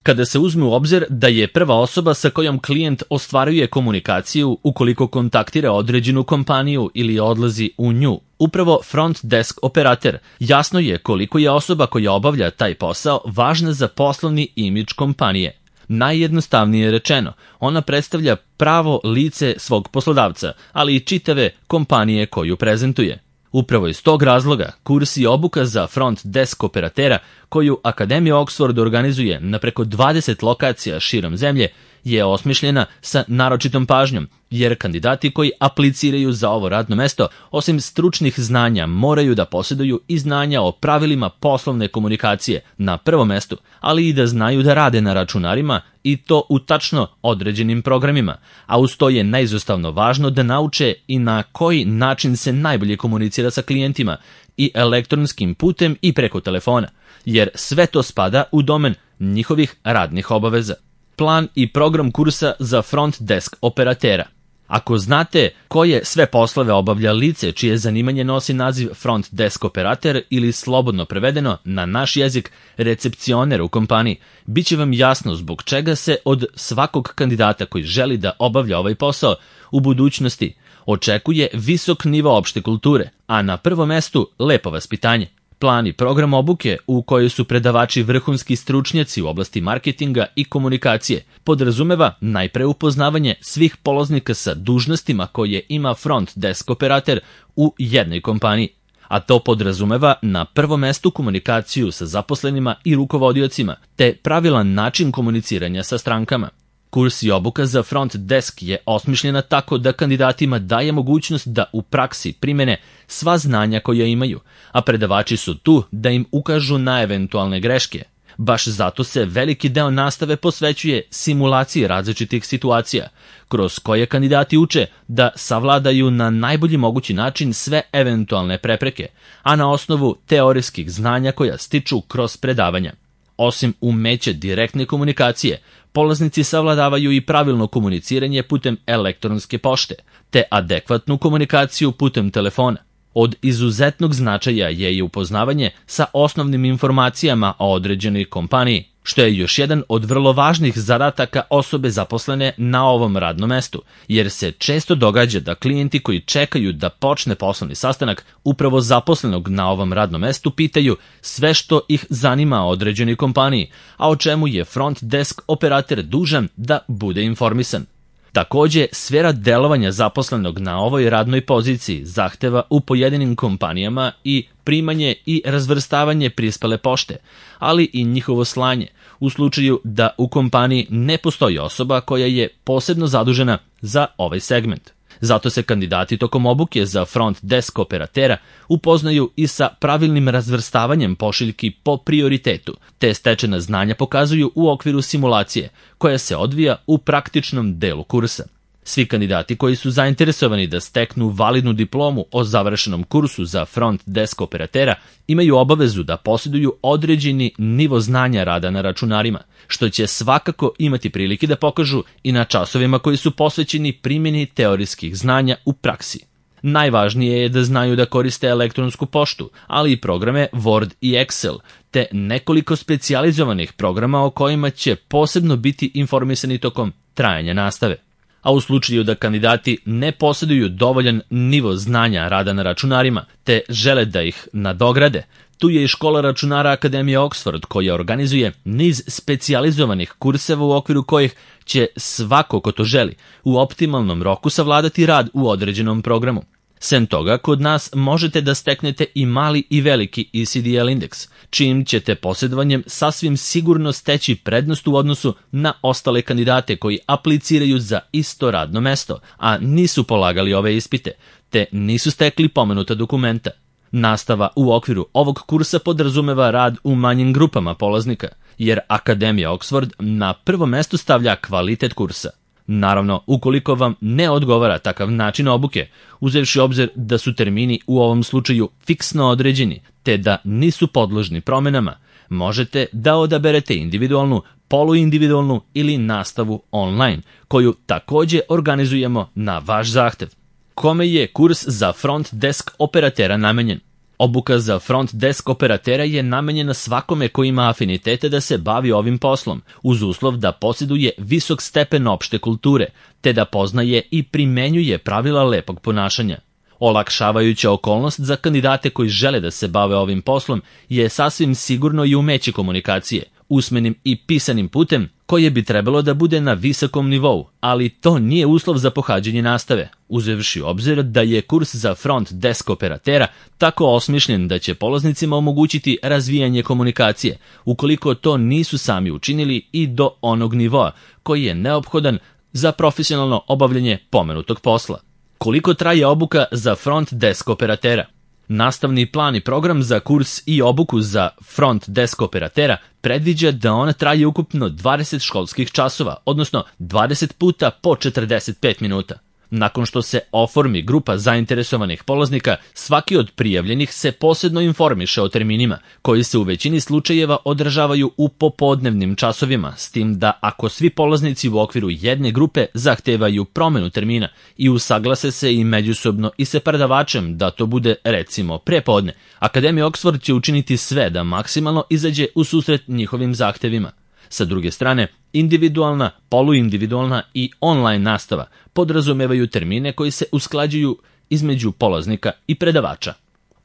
Kada se uzme u obzir da je prva osoba sa kojom klijent ostvaruje komunikaciju ukoliko kontaktira određenu kompaniju ili odlazi u nju, upravo front desk operater, jasno je koliko je osoba koja obavlja taj posao važna za poslovni imidž kompanije. Najjednostavnije rečeno, ona predstavlja pravo lice svog poslodavca, ali i čitave kompanije koju prezentuje. Upravo iz tog razloga, kurs i obuka za front desk operatera, koju Akademija Oxford organizuje na preko 20 lokacija širom zemlje, je osmišljena sa naročitom pažnjom, jer kandidati koji apliciraju za ovo radno mesto, osim stručnih znanja, moraju da posjeduju i znanja o pravilima poslovne komunikacije na prvom mestu, ali i da znaju da rade na računarima i to u tačno određenim programima, a uz to je neizostavno važno da nauče i na koji način se najbolje komunicira sa klijentima i elektronskim putem i preko telefona, jer sve to spada u domen njihovih radnih obaveza. Plan i program kursa za front desk operatera. Ako znate koje sve poslove obavlja lice čije zanimanje nosi naziv front desk operater ili slobodno prevedeno na naš jezik recepcioner u kompaniji, bit će vam jasno zbog čega se od svakog kandidata koji želi da obavlja ovaj posao u budućnosti očekuje visok nivo opšte kulture, a na prvom mestu lepo vaspitanje. Plan i program obuke u kojoj su predavači vrhunski stručnjaci u oblasti marketinga i komunikacije podrazumeva najpre upoznavanje svih polaznika sa dužnostima koje ima front desk operater u jednoj kompaniji, a to podrazumeva na prvom mestu komunikaciju sa zaposlenima i rukovodiocima, te pravilan način komuniciranja sa strankama. Kurs i obuka za front desk je osmišljena tako da kandidatima daje mogućnost da u praksi primene sva znanja koja imaju, a predavači su tu da im ukažu na eventualne greške. Baš zato se veliki deo nastave posvećuje simulaciji različitih situacija, kroz koje kandidati uče da savladaju na najbolji mogući način sve eventualne prepreke, a na osnovu teorijskih znanja koja stiču kroz predavanja. Osim umeća direktne komunikacije, polaznici savladavaju i pravilno komuniciranje putem elektronske pošte, te adekvatnu komunikaciju putem telefona. Od izuzetnog značaja je i upoznavanje sa osnovnim informacijama o određenoj kompaniji, što je još jedan od vrlo važnih zadataka osobe zaposlene na ovom radnom mestu, jer se često događa da klijenti koji čekaju da počne poslovni sastanak upravo zaposlenog na ovom radnom mestu pitaju sve što ih zanima o određenoj kompaniji, a o čemu je front desk operater dužan da bude informisan. Takođe, sfera delovanja zaposlenog na ovoj radnoj poziciji zahteva u pojedinim kompanijama i primanje i razvrstavanje prispele pošte, ali i njihovo slanje, u slučaju da u kompaniji ne postoji osoba koja je posebno zadužena za ovaj segment. Zato se kandidati tokom obuke za front desk operatera upoznaju i sa pravilnim razvrstavanjem pošiljki po prioritetu, te stečena znanja pokazuju u okviru simulacije, koja se odvija u praktičnom delu kursa. Svi kandidati koji su zainteresovani da steknu validnu diplomu o završenom kursu za front desk operatera imaju obavezu da posjeduju određeni nivo znanja rada na računarima, što će svakako imati prilike da pokažu i na časovima koji su posvećeni primjeni teorijskih znanja u praksi. Najvažnije je da znaju da koriste elektronsku poštu, ali i programe Word i Excel, te nekoliko specijalizovanih programa o kojima će posebno biti informisani tokom trajanja nastave. A u slučaju da kandidati ne posjeduju dovoljan nivo znanja rada na računarima, te žele da ih nadograde, tu je i škola računara Akademije Oxford koja organizuje niz specijalizovanih kurseva u okviru kojih će svako ko to želi u optimalnom roku savladati rad u određenom programu. Sem toga, kod nas možete da steknete i mali i veliki ECDL indeks, čijim ćete posjedovanjem sasvim sigurno steći prednost u odnosu na ostale kandidate koji apliciraju za isto radno mesto, a nisu polagali ove ispite, te nisu stekli pomenuta dokumenta. Nastava u okviru ovog kursa podrazumeva rad u manjim grupama polaznika, jer Akademija Oxford na prvo mesto stavlja kvalitet kursa. Naravno, ukoliko vam ne odgovara takav način obuke, uzevši obzir da su termini u ovom slučaju fiksno određeni, te da nisu podložni promenama, možete da odaberete individualnu, poluindividualnu ili nastavu online, koju takođe organizujemo na vaš zahtev. Kome je kurs za front desk operatera namenjen? Obuka za front desk operatera je namenjena svakome ko ima afinitete da se bavi ovim poslom, uz uslov da posjeduje visok stepen opšte kulture, te da poznaje i primenjuje pravila lepog ponašanja. Olakšavajuća okolnost za kandidate koji žele da se bave ovim poslom je sasvim sigurno i umeće komunikacije, usmenim i pisanim putem, koje bi trebalo da bude na visokom nivou, ali to nije uslov za pohađanje nastave, uzevši u obzir da je kurs za front desk operatera tako osmišljen da će polaznicima omogućiti razvijanje komunikacije, ukoliko to nisu sami učinili i do onog nivoa koji je neophodan za profesionalno obavljanje pomenutog posla. Koliko traje obuka za front desk operatera? Nastavni plan i program za kurs i obuku za front desk operatera predviđa da on traje ukupno 20 školskih časova, odnosno 20 puta po 45 minuta. Nakon što se oformi grupa zainteresovanih polaznika, svaki od prijavljenih se posebno informiše o terminima, koji se u većini slučajeva održavaju u popodnevnim časovima, s tim da ako svi polaznici u okviru jedne grupe zahtevaju promenu termina i usaglase se i međusobno i sa predavačem da to bude recimo prepodne, Akademija Oxford će učiniti sve da maksimalno izađe u susret njihovim zahtevima. Sa druge strane, individualna, poluindividualna i online nastava podrazumevaju termine koji se usklađuju između polaznika i predavača.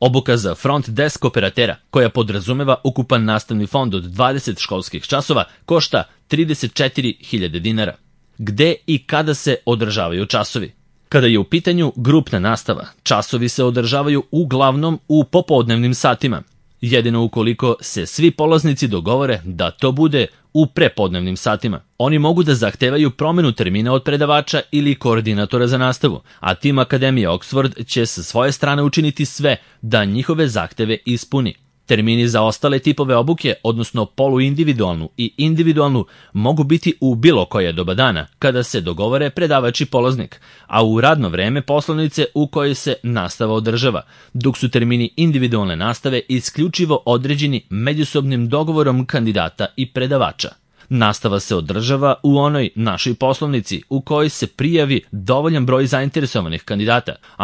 Obuka za front desk operatera, koja podrazumeva ukupan nastavni fond od 20 školskih časova, košta 34.000 dinara. Gde i kada se održavaju časovi? Kada je u pitanju grupna nastava, časovi se održavaju uglavnom u popodnevnim satima, jedino ukoliko se svi polaznici dogovore da to bude u prepodnevnim satima. Oni mogu da zahtevaju promenu termina od predavača ili koordinatora za nastavu, a tim Akademija Oxford će sa svoje strane učiniti sve da njihove zahteve ispuni. Termini za ostale tipove obuke, odnosno poluindividualnu i individualnu, mogu biti u bilo koje doba dana, kada se dogovore predavač i polaznik, a u radno vreme poslovnice u kojoj se nastava održava, dok su termini individualne nastave isključivo određeni međusobnim dogovorom kandidata i predavača. Nastava se održava u onoj našoj poslovnici u kojoj se prijavi dovoljan broj zainteresovanih kandidata, a